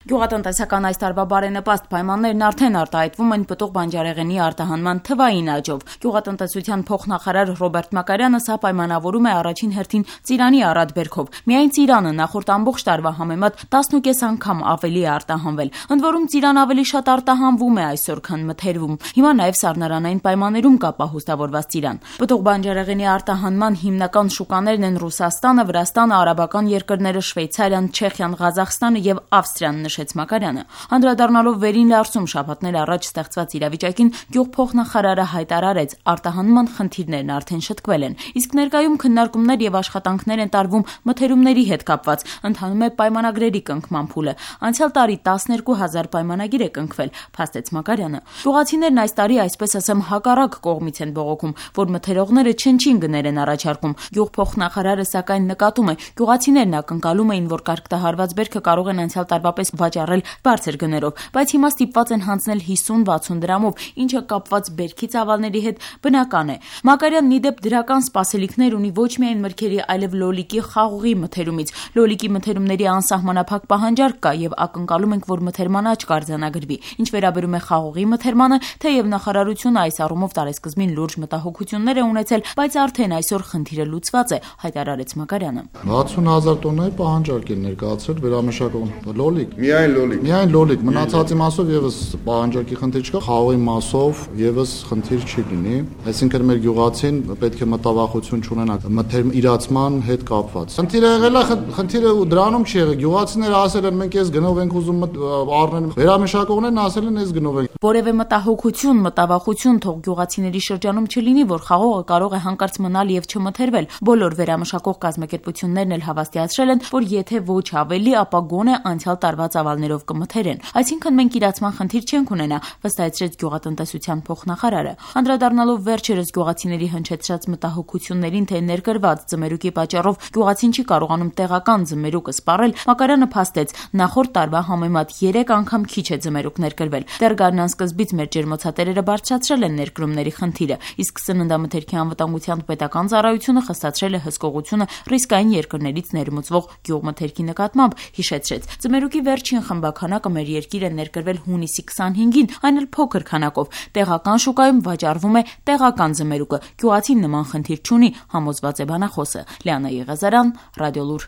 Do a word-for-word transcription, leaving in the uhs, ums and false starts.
Գյուղատնտեսական այս տարվա բարենպաստ պայմաններն արդեն արտահայտվում են պտուղ բանջարեղենի արտահանման թվային աճով։ Գյուղատնտեսության փոխնախարար Ռոբերտ Մակարյանը սա պայմանավորում է առաջին հերթին ծիրանի առատբերքով։ Միայն ծիրանը նախորդ ամբողջ տարվա համեմատ տասնուկես անգամ ավելի է արտահանվել։ Ընդ որում ծիրան ավելի շատ արտահանվում է այսօր, քան մթերվում։ Հիմա նաև սառնարանային պայմաններում կա պահուստավորված ծիրան։ Պտուղ բանջարեղենի արտահանման հիմնական շուկաներն են Ռուսաստանը, Վրաստանը, արաբական երկրները, Շվեյցարիան, Չեխիան, Ղազախստանը եւ Ավստրիան, նշեց Մակարյանը։ Անդրադառնալով վերին Լարսում շաբաթներ առաջ ստեղծված իրավիճակին, գյուղփոխնախարարը հայտարարեց, արտահանման խնդիրներն արդեն շտկվել են, իսկ ներկայում քննարկումներ եւ աշխատանքներ են տարվում մթերումների հետ կապված, ընթանում է պայմանագրերի կնքման փուլը։ Անցյալ տարի տասներկու հազար պայմանագիր է կնքվել, փաստեց Մակարյանը։ Գյուղացիներն այս տարի, այսպես ասեմ, հակառակ կողմից են բողոքում, որ մթերողները չնչին գներ են առաջարկում։ Գյուղփոխնախարարը սակայն նկատում է, գյուղացիներն ակնկալում էին, որ կարգտահարված բերքը կարող են անցյալ տարվա պես վաճառել բարձր գներով, բայց հիմա ստիպված են հանձնել հիսուն-վաթսուն դրամով, ինչը կապված բերքի ծավալների հետ բնական է։ Մակարյանն ի դեպ դրական սպասելիքներ ունի ոչ միայն մրգերի, այլև լոլիկի խաղողի մթերումից։ Լոլիկի մթերումների անսահմանափակ պահանջարկ կա եւ ակնկալում ենք, որ մթերման աճ կարձանագրվի։ Ինչ վերաբերում է խաղողի մթերմանը, թեև նախարարությունը այս առումով տարեսկզբին լուրջ մտահոգություններ է ունեցել, բայց արդեն այսօր խնդիրը լուծված է, հայտարարեց Մակարյանը։ վաթսուն հազար տոննայի պահանջարկ են ներկայացրել վերամշակողն։ Լոլիկ։ Միայն լոլիկ։ Միայն լոլիկ, մնացածի մասով եւս պահանջարկի խնդիր չկա, խաղողի մասով եւս խնդիր չի լինի։ Այսինքն մեր գյուղացին պետք է մտավախություն չունենա մթերմ իրացման հետ կապված։ Խնդիրը եղել է, խնդիրը դրանում չի եղել։ Գյուղացիները ասել են մենք էս գնով ենք ուզում առնել, վերամշակողներն ասել են էս գնով ենք։ Որևէ մտահոգություն, մտավախություն թող գյուղացիների շրջանում չլինի, որ խաղողը կարող է հանկարծ մնալ եւ չմթերվել։ Բոլոր վերամշակող կազմակերպություններն էլ հավաստիացրել են, որ եթե ոչ ավելի, ապա գոնե անցյալ տարվա ծավալներով կմթերեն։ Այսինքն մենք իրացման խնդիր չենք ունենա, վստահեցրեց գյուղատնտեսության փոխնախարարը։ Անդրադառնալով վերջերս գյուղացիների հնչեցրած մտահոգություններին, թե ներկրված ձմերուկի պատճառով գյուղացին չի կարողանում տեղական ձմերուկը սպառել, Մակարյանը փաստեց, նախորդ տարվա համեմատ երեք անգամ քիչ է ձմերուկ ներկրվել։ Դեռ գարնան սկզբից մեր ջերմոցատերերը բարձրացրել են ներկրումների խնդիրը, իսկ սննդամթերքի անվտանգության պետական ծառայությունը խստացրել է հսկողությունը ռիսկային երկրներից ներմուծվող գյուղմթերքի նկատմամբ, հիշեցրեց։ Ձմերուկի վերջին խմբականակը մեր երկիր է ներկրվել հունիսի քսանհինգին, այն էլ փոքր քանակով։ Տեղական շուկայում վաճառվում է տեղական ձմերուկը։ Գյուղացին նման խնդիր չունի, համոզված է բանախոսը։ Լիանա Եղազարյան, Ռադիոլուր։